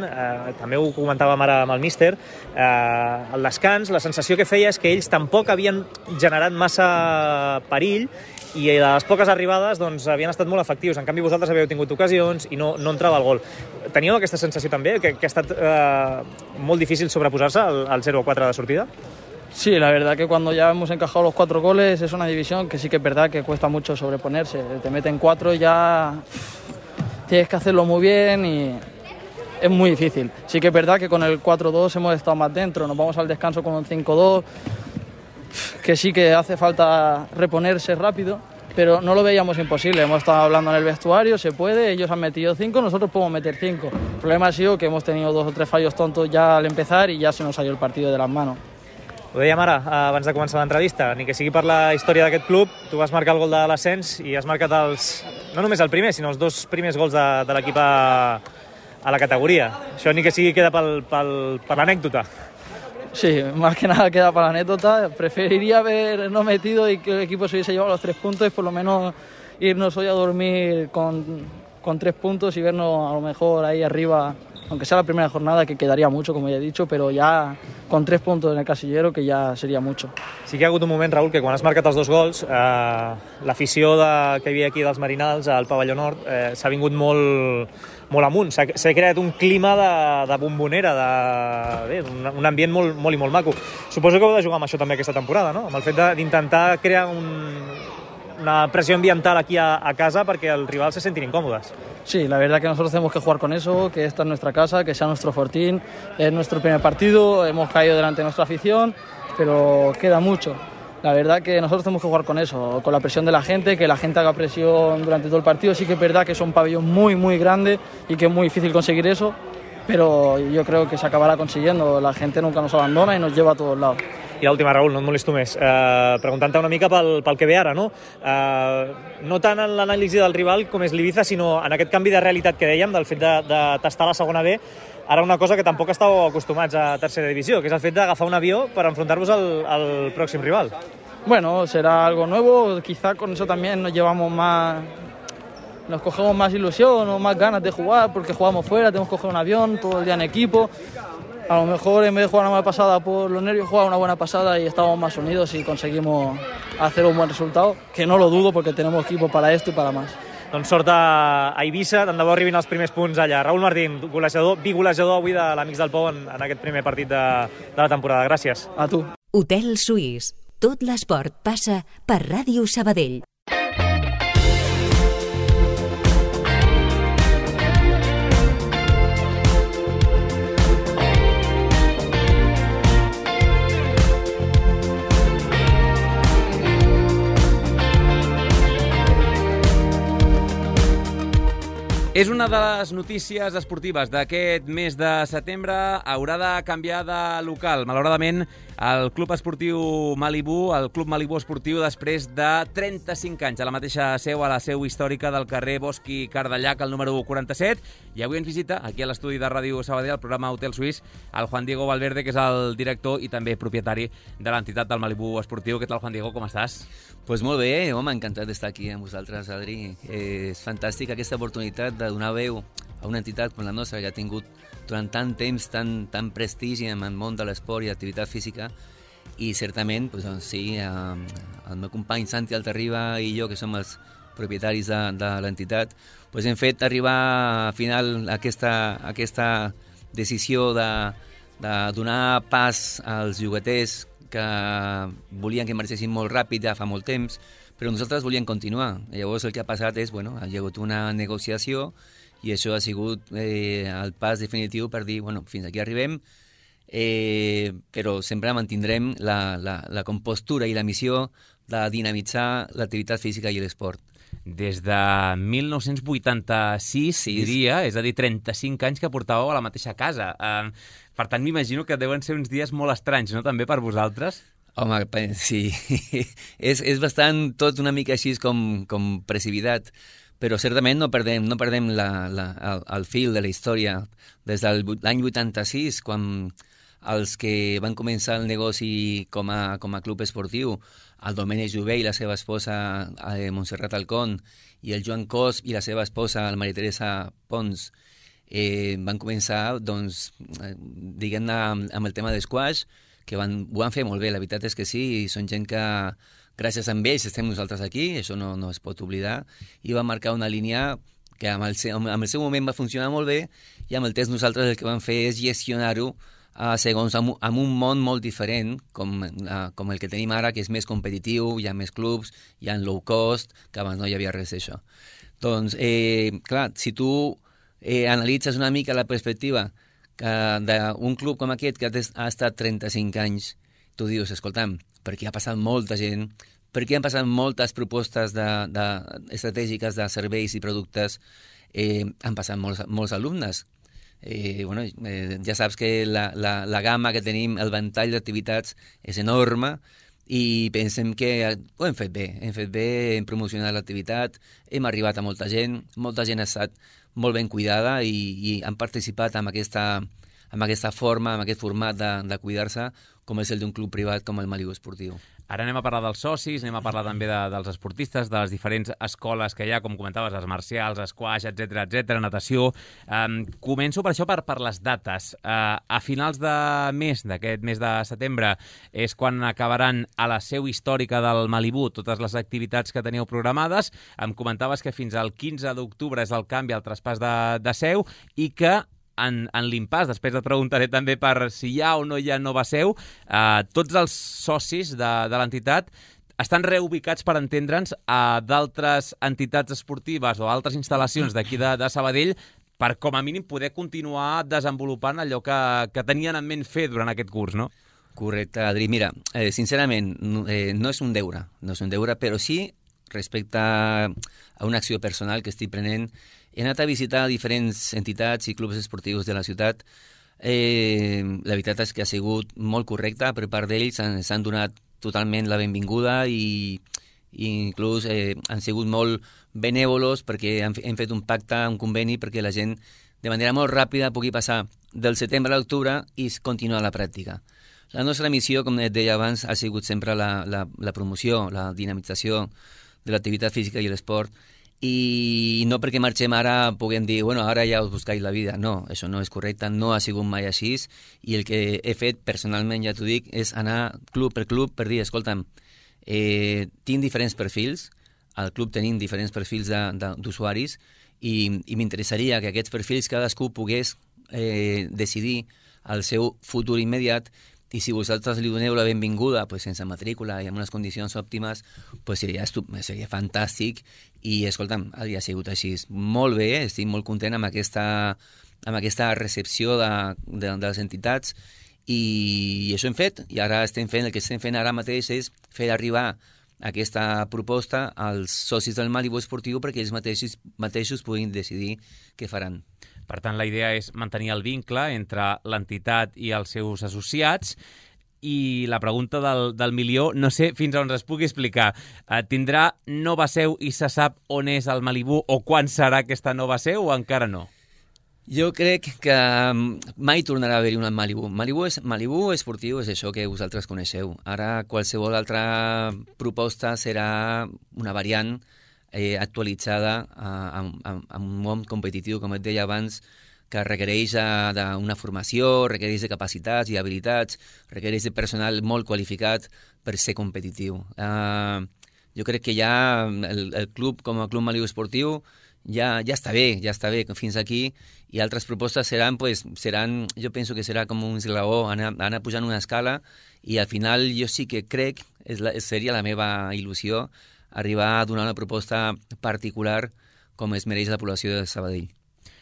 també ho comentàvem ara amb el míster, el descans, la sensació que feia és que ells tampoc havien generat massa perill i a les poques arribades doncs, havien estat molt efectius. En canvi, vosaltres havíeu tingut ocasions i no entrava el gol. Teníeu aquesta sensació també, que ha estat molt difícil sobreposar-se al 0-4 de sortida? Sí, la verdad que cuando ya hemos encajado los 4 goles es una división que sí que es verdad que cuesta mucho sobreponerse. Te meten 4 y ya tienes que hacerlo muy bien y es muy difícil. Sí que es verdad que con el 4-2 hemos estado más dentro, nos vamos al descanso con un 5-2, que sí que hace falta reponerse rápido, pero no lo veíamos imposible. Hemos estado hablando en el vestuario, se puede, ellos han metido 5, nosotros podemos meter 5. El problema ha sido que hemos tenido 2 o 3 fallos tontos ya al empezar y ya se nos salió el partido de las manos. Ho dèiem ara, abans de començar l'entrevista, ni que sigui per la història d'aquest club, tu vas marcar el gol de l'ascens i has marcat no només el primer, sinó els 2 primers gols de l'equip a la categoria. Això ni que sigui queda per l'anècdota. Sí, más que nada queda para la anécdota. Preferiría haber no metido y que el equipo se hubiese llevado los 3 puntos y por lo menos irnos hoy a dormir con 3 puntos y vernos a lo mejor ahí arriba, aunque sea la primera jornada, que quedaría mucho, como ya he dicho, pero ya con 3 puntos en el casillero, que ya sería mucho. Sí que ha hagut un moment, Raúl, que quan has marcat els 2 gols, l'afició que hi havia aquí dels Marinals al pavelló nord s'ha vingut molt amunt. S'ha creat un clima de bombonera, un ambient molt i molt maco. Suposo que heu de jugar amb això també aquesta temporada, no? Amb el fet d'intentar crear una presión ambiental aquí a casa para que el rival se sienten incómodas. Sí, la verdad que nosotros tenemos que jugar con eso, que esta es nuestra casa, que sea nuestro fortín, es nuestro primer partido, hemos caído delante de nuestra afición, pero queda mucho. La verdad que nosotros tenemos que jugar con eso, con la presión de la gente, que la gente haga presión durante todo el partido. Sí que es verdad que es un pabellón muy grande y que es muy difícil conseguir eso, pero yo creo que se acabará consiguiendo. La gente nunca nos abandona y nos lleva a todos lados. I l'última, Raúl, no et molesto més. Preguntant-te una mica pel que ve ara, no? No tant en l'anàlisi del rival com és l'Ibiza, sinó en aquest canvi de realitat que dèiem, del fet de tastar la segona B, ara una cosa que tampoc estàveu acostumats a tercera divisió, que és el fet d'agafar un avió per enfrontar-vos al pròxim rival. Bueno, será algo nuevo, quizá con eso también nos cogemos más ilusión o más ganas de jugar, porque jugamos fuera, tenemos que coger un avión todo el día en equipo. A lo mejor en vez de jugar una mala pasada por los nervios, jugar una buena pasada y estamos más unidos y conseguimos hacer un buen resultado, que no lo dudo porque tenemos equipo para esto y para más. Doncs sort a Eivissa, tant de bo arribin els primers punts allà. Raúl Martín, bigolejador avui de l'Amics del Pou en aquest primer partit de la temporada. Gràcies. A tu. Hotel Suís. Tot l'esport passa per Ràdio Sabadell. És una de les notícies esportives d'aquest mes de setembre. Haurà de canviar de local. Malauradament, el Club Esportiu Malibú, el Club Malibú Esportiu, després de 35 anys a la mateixa seu, a la seu històrica del carrer Bosch i Cardellac, el número 47. I avui ens visita, aquí a l'estudi de Ràdio Sabadell, el programa Hotel Suís, el Juan Diego Valverde, que és el director i també propietari de l'entitat del Malibú Esportiu. Què tal, Juan Diego? Com estàs? Pues molt bé, home, encantat d'estar aquí amb vosaltres, Adri. És fantàstic aquesta oportunitat de donar veu a una entitat com la nostra, que ha tingut durant tant temps tant prestigi en el món de l'esport i l'activitat física, i certament, doncs, sí, el meu company Santi Altarriba i jo, que som els propietaris de l'entitat, doncs hem fet arribar al final aquesta decisió de donar pas als llogaters que volien que marxessin molt ràpid ja fa molt temps, però nosaltres volíem continuar. Llavors el que ha passat és, bueno, ha hagut una negociació i això ha sigut el pas definitiu per dir, bueno, fins aquí arribem, però sempre mantindrem la compostura i la missió de dinamitzar l'activitat física i l'esport. Des de 1986, diria, és a dir, 35 anys que portàveu a la mateixa casa. Per tant, m'imagino que deuen ser uns dies molt estranys, no?, també per vosaltres? Home, sí, és bastant tot una mica així com precipitat, però certament no perdem el fil de la història. Des de l'any 86, quan els que van començar el negoci com a club esportiu, el Domènec Jové i la seva esposa Montserrat Alcón, i el Joan Cos i la seva esposa, la Maria Teresa Pons, van començar, doncs, diguem-ne, amb el tema d'esquash, que ho van fer molt bé, la veritat és que sí, i són gent que, gràcies a ells, estem nosaltres aquí, això no es pot oblidar, i va marcar una línia que amb el seu moment va funcionar molt bé, i amb el temps nosaltres el que vam fer és gestionar-ho segons amb un món molt diferent, com el que tenim ara, que és més competitiu, hi ha més clubs, hi ha low cost, que abans no hi havia res d'això. Doncs, clar, si tu analitzes una mica la perspectiva d'un club com aquest que ha estat 35 anys, tu dius, escolta'm, perquè ha passat molta gent, perquè han passat moltes propostes estratègiques de serveis i productes, han passat molts alumnes. Ja saps que la gamma que tenim, el ventall d'activitats és enorme, i pensem que ho hem fet bé, hem promocionat l'activitat, hem arribat a molta gent ha estat molt ben cuidada i han participat en aquesta forma, en aquest format de cuidar-se, com és el d'un club privat com el Malibu Esportiu. Ara anem a parlar dels socis, anem a parlar també dels esportistes, de les diferents escoles que hi ha, com comentaves, les marcials, esquash, etc, natació. Començo per això per les dates. A finals d'aquest mes de setembre és quan acabaran a la seu històrica del Malibu totes les activitats que teníeu programades. Em comentaves que fins al 15 d'octubre és el canvi, el traspàs de seu, i que en l'impàs, després et preguntaré també per si hi ha o no hi ha nova seu, tots els socis de l'entitat estan reubicats, per entendre'ns, a d'altres entitats esportives o altres instal·lacions d'aquí de Sabadell per, com a mínim, poder continuar desenvolupant allò que tenien en ment fer durant aquest curs, no? Correcte, Adri. Mira, sincerament, no és un deure, però sí, respecte a una acció personal que estic prenent, he anat a visitar diferents entitats i clubs esportius de la ciutat. La veritat és que ha sigut molt correcta per part d'ells, s'han donat totalment la benvinguda i inclús han sigut molt benèvolos perquè hem fet un pacte, un conveni, perquè la gent de manera molt ràpida pugui passar del setembre a l'octubre i continuar la pràctica. La nostra missió, com et deia abans, ha sigut sempre la promoció, la dinamització de l'activitat física i l'esport, i no perquè marxem ara puguem dir, bueno, ara ja us buscais la vida. No, això no és correcte, no ha sigut mai així, i el que he fet personalment, ja t'ho dic, és anar club per club per dir, escolta'm, tinc diferents perfils, al club tenim diferents perfils d'usuaris, i m'interessaria que aquests perfils cadascú pogués decidir el seu futur immediat, i si vosaltres li doneu la benvinguda sense matrícula i amb unes condicions òptimes, seria fantàstic. I, escolta'm, ha sigut així molt bé, estic molt content amb aquesta recepció de les entitats, i això hem fet, i ara el que estem fent ara mateix és fer arribar aquesta proposta als socis del Malibu Esportiu perquè ells mateixos puguin decidir què faran. Per tant, la idea és mantenir el vincle entre l'entitat i els seus associats. I la pregunta del milió, no sé fins on es pugui explicar. Tindrà nova seu i se sap on és el Malibu o quan serà aquesta nova seu o encara no? Jo crec que mai tornarà a haver-hi un Malibu. Malibu Esportiu és això que vosaltres coneixeu. Ara qualsevol altra proposta serà una variant actualitzada a un món competitiu, com et deia abans, que requereix d'una formació, requereix de capacitats i habilitats, requereix de personal molt qualificat per ser competitiu. Jo crec que ja el club, com a club malioesportiu, ja està bé fins aquí, i altres propostes seran, jo penso que serà com un esglaó, anar pujant una escala, i al final jo sí que crec, seria la meva il·lusió, arribar a donar una proposta particular com es mereix la població de Sabadell.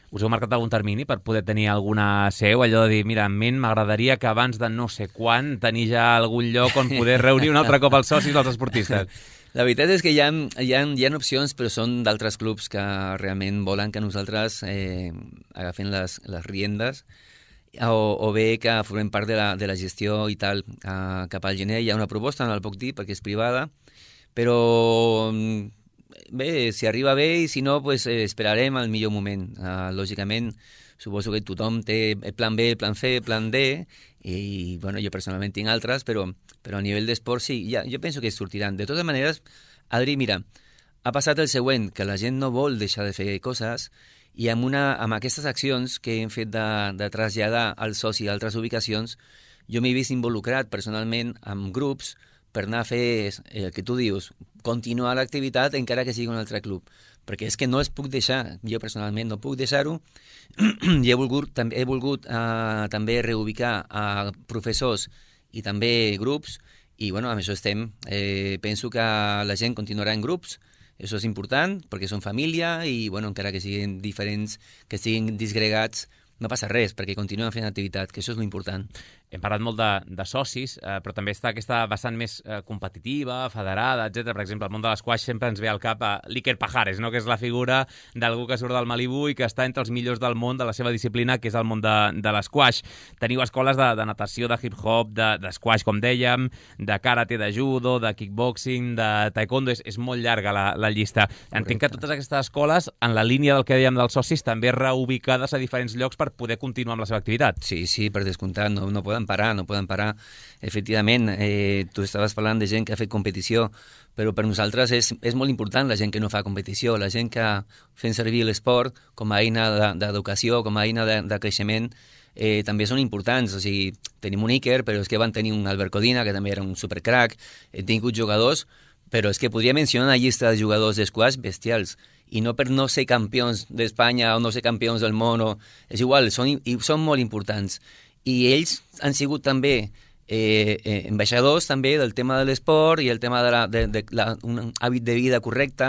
Us heu marcat algun termini per poder tenir alguna seu? Allò de dir, mira, en ment m'agradaria que abans de no sé quan tenir ja algun lloc on poder reunir un altre cop els socis dels esportistes. La veritat és que hi ha opcions, però són d'altres clubs que realment volen que nosaltres agafem les riendes, o bé que formem part de la gestió i tal. Cap al gener hi ha una proposta, no el puc dir perquè és privada, però bé, si arriba bé, i si no, esperarem al millor moment. Lògicament, suposo que tothom té el plan B, el plan C, el plan D, i bueno, jo personalment tinc altres, però a nivell d'esport sí, jo penso que sortiran. De totes maneres, Adri, mira, ha passat el següent, que la gent no vol deixar de fer coses, i amb aquestes accions que hem fet de traslladar al soci a altres ubicacions, jo m'he vist involucrat personalment amb grups per anar a fer el que tu dius, continuar l'activitat encara que sigui un altre club, perquè és que no es puc deixar, jo personalment no puc deixar-ho, i he volgut també reubicar a professors i també grups, i bueno, amb això estem. Penso que la gent continuarà en grups, això és important, perquè són família, i bueno, encara que siguin diferents, que siguin disgregats, no passa res, perquè continuen fent activitat, que això és l'important. Hem parlat molt de socis, però també està aquesta vessant més competitiva, federada, etc. Per exemple, el món de l'esquaix sempre ens ve al cap a l'Iker Pajares, no? Que és la figura d'algú que surt del Malibú i que està entre els millors del món de la seva disciplina, que és el món de l'esquaix. Teniu escoles de natació, de hip-hop, d'esquaix, com dèiem, de karate, de judo, de kickboxing, de taekwondo. És molt llarga la llista. Entenc que totes aquestes escoles, en la línia del que dèiem dels socis, també reubicades a diferents llocs per poder continuar amb la seva activitat. Sí, per descomptat, no poden parar. Efectivament, tu estaves parlant de gent que ha fet competició, però per nosaltres és molt important la gent que no fa competició, la gent que fem servir l'esport com a eina d'educació, com a eina de creixement, també són importants. O sigui, tenim un Iker, però és que van tenir un Albert Codina, que també era un supercrack, hem tingut jugadors, però és que podria mencionar una llista de jugadors d'esquaix bestials, i no per no ser campions d'Espanya o no ser campions del món, és igual, són molt importants. I ells han sigut també ambaixadors també del tema de l'esport i el tema d'un hàbit de vida correcte,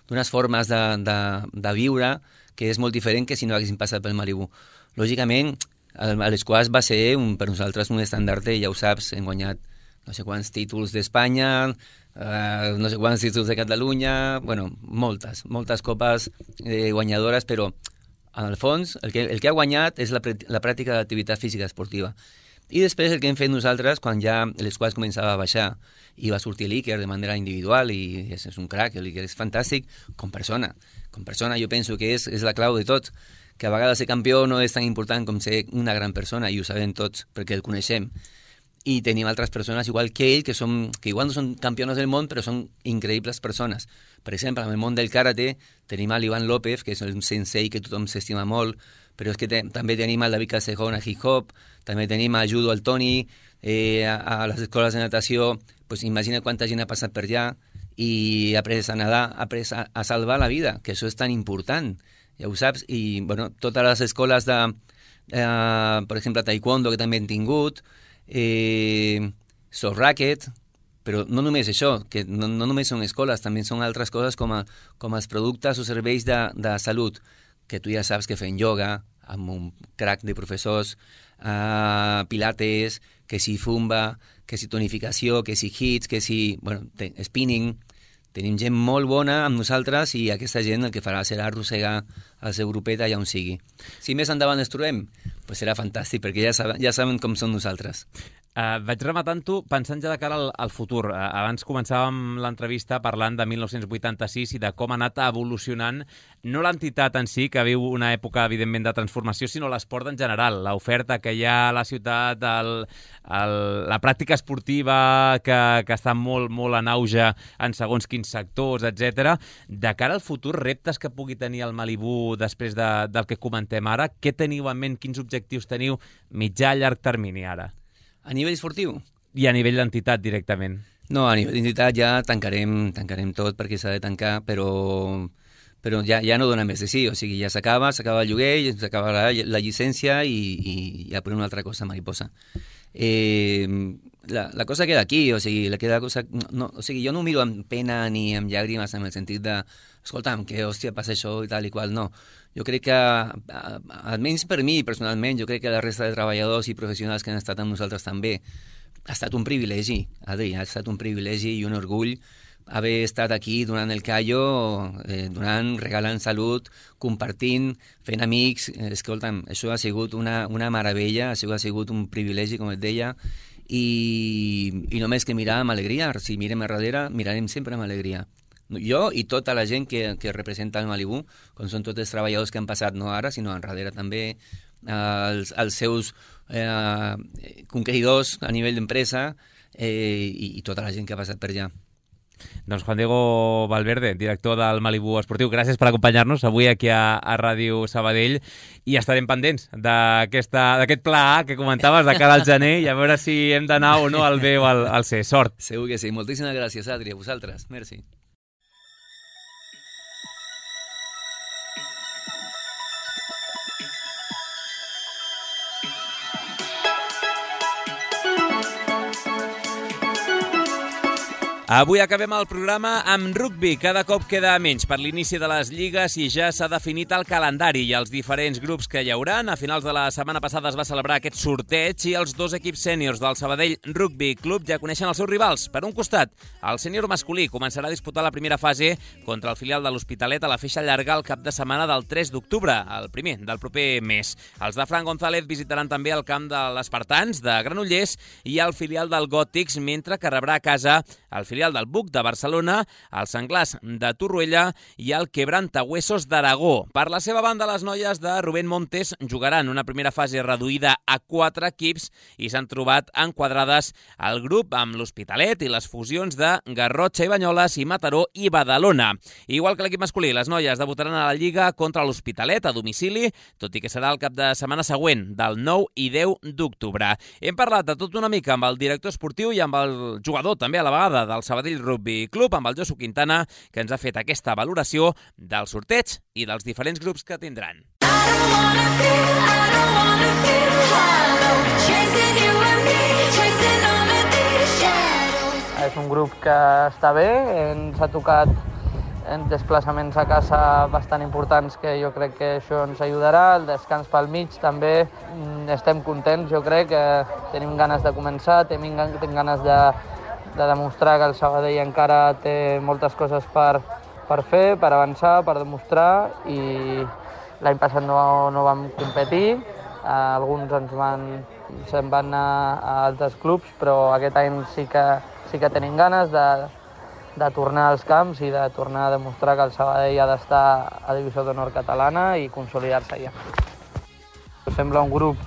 d'unes formes de viure, que és molt diferent que si no haguessin passat pel Malibú. Lògicament, l'esquaix va ser per nosaltres un estandard, ja ho saps, hem guanyat no sé quants títols d'Espanya, no sé quants títols de Catalunya, bueno, moltes copes guanyadores, però en el fons el que ha guanyat és la pràctica d'activitat física esportiva. I després el que hem fet nosaltres, quan ja l'esquaix començava a baixar i va sortir l'Iker de manera individual, i és un crac, l'Iker és fantàstic, com persona jo penso que és la clau de tot, que a vegades ser campió no és tan important com ser una gran persona, i ho sabem tots perquè el coneixem. I tenim altres persones igual que ell, que igual no són campiones del món, però són increïbles persones. Per exemple, en el món del karate tenim l'Ivan López, que és el sensei que tothom s'estima molt, però és que també tenim el David Casejón a hip-hop, també tenim a judo al Toni, a les escoles de natació, pues imagina quanta gent ha passat per allà i ha après a nedar, ha après a salvar la vida, que això és tan important, ja ho saps. I bueno, totes les escoles de, per exemple, taekwondo, que també hem tingut, soft racket, però no només això, que no només són escoles, també són altres coses com els productes o serveis de salut, que tu ja saps que fem ioga, amb un crack de professors, pilates, que si fumba, que si tonificació, que si hits, que si spinning. Tenim gent molt bona amb nosaltres, i aquesta gent el que farà serà arrossegar el seu grupet allà on sigui. Si més endavant ens trobem, pues serà fantàstic, perquè ja saben com som nosaltres. Vaig rematant-ho pensant ja de cara al futur. Abans començàvem l'entrevista parlant de 1986 i de com ha anat evolucionant no l'entitat en si, que viu una època, evidentment, de transformació, sinó l'esport en general. L'oferta que hi ha a la ciutat, la pràctica esportiva que està molt, molt en auge en segons quins sectors, etc. De cara al futur, reptes que pugui tenir el Malibú després del que comentem ara, què teniu en ment, quins objectius teniu mitjà a llarg termini ara? A nivell esportiu? I a nivell d'entitat directament? No, a nivell d'entitat ja tancarem tot perquè s'ha de tancar, però ja no dona més de sí, o sigui, ja s'acaba el lloguer, s'acaba la llicència i ja per una altra cosa mariposa. La cosa queda aquí, o sigui, jo no ho miro amb pena ni amb llàgrimes en el sentit de, escolta'm, que hòstia, passa això i tal i qual, no. Jo crec que, almenys per mi personalment, jo crec que la resta de treballadors i professionals que han estat amb nosaltres també, ha estat un privilegi, Adri, ha estat un privilegi i un orgull haver estat aquí donant el callo, regalant salut, compartint, fent amics. Escolta'm, això ha sigut una meravella, això ha sigut un privilegi, com et deia, i només que mirar amb alegria. Si mirem a darrere, mirarem sempre amb alegria. Jo i tota la gent que representa el Malibú, com són tots els treballadors que han passat, no ara, sinó enrere també, els seus conqueridors a nivell d'empresa i tota la gent que ha passat per allà. Doncs Juan Diego Valverde, director del Malibú Esportiu, gràcies per acompanyar-nos avui aquí a Ràdio Sabadell i estarem pendents d'aquest pla A que comentaves de cara al gener i a veure si hem d'anar o no al B o al C. Sort. Segur que sí. Moltíssimes gràcies, Adri, a vosaltres. Merci. Avui acabem el programa amb rugbi. Cada cop queda menys per l'inici de les lligues i ja s'ha definit el calendari i els diferents grups que hi hauran. A finals de la setmana passada es va celebrar aquest sorteig i els dos equips sèniors del Sabadell Rugby Club ja coneixen els seus rivals. Per un costat, el sènior masculí començarà a disputar la primera fase contra el filial de l'Hospitalet a la Feixa Llarga el cap de setmana del 3 d'octubre, el primer del proper mes. Els de Fran González visitaran també el camp de l'Espartans de Granollers i el filial del Gòtics, mentre que rebrà a casa el filial del Buc de Barcelona, el Senglars de Torroella i el Quebrantahuesos d'Aragó. Per la seva banda, les noies de Rubén Montes jugaran una primera fase reduïda a 4 equips i s'han trobat enquadrades al grup amb l'Hospitalet i les fusions de Garrotxa i Banyoles i Mataró i Badalona. Igual que l'equip masculí, les noies debutaran a la Lliga contra l'Hospitalet a domicili, tot i que serà el cap de setmana següent, del 9 i 10 d'octubre. Hem parlat de tot una mica amb el director esportiu i amb el jugador també a la vegada del Sabadell Rugby Club, amb el Josu Quintana, que ens ha fet aquesta valoració del sorteig i dels diferents grups que tindran. És un grup que està bé, ens ha tocat desplaçaments a casa bastant importants que jo crec que això ens ajudarà, el descans pel mig també, estem contents, jo crec que tenim ganes de començar, tenim ganes de demostrar que el Sabadell encara té moltes coses per fer, per avançar, per demostrar, i l'any passat no vam competir, alguns se'n van anar a altres clubs, però aquest any sí que tenim ganes de tornar als camps i de tornar a demostrar que el Sabadell ha d'estar a Divisió d'Honor catalana i consolidar-se allà. Sembla un grup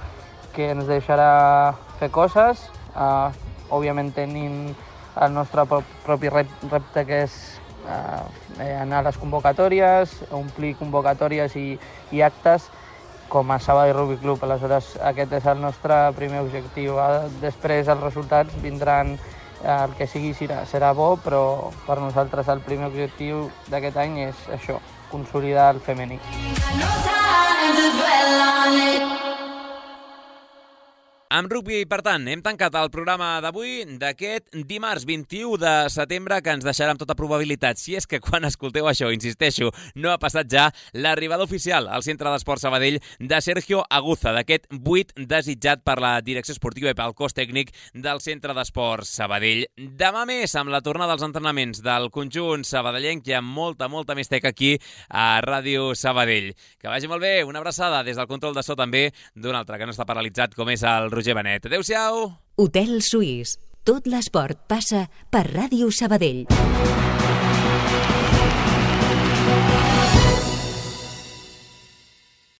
que ens deixarà fer coses, òbviament tenint el nostre propi repte, que és anar a les convocatòries, omplir convocatòries i actes com a Sabadell Rugby Club. Aleshores, aquest és el nostre primer objectiu. Després els resultats vindran, el que sigui serà bo, però per nosaltres el primer objectiu d'aquest any és això, consolidar el femení. Amb rugby, per tant, hem tancat el programa d'avui d'aquest dimarts 21 de setembre, que ens deixarà amb tota probabilitat, si és que quan escolteu això, insisteixo, no ha passat ja, l'arribada oficial al Centre d'Esport Sabadell de Sergio Aguza, d'aquest 8 desitjat per la direcció esportiva i pel cos tècnic del Centre d'Esport Sabadell. Demà més, amb la tornada dels entrenaments del conjunt sabadellenc, hi ha molta més tec aquí a Ràdio Sabadell. Que vagi molt bé, una abraçada des del control de so també d'un altre que no està paralitzat, com és el Roger Roger Benet. Adéu-siau! Hotel Suís. Tot l'esport passa per Ràdio Sabadell.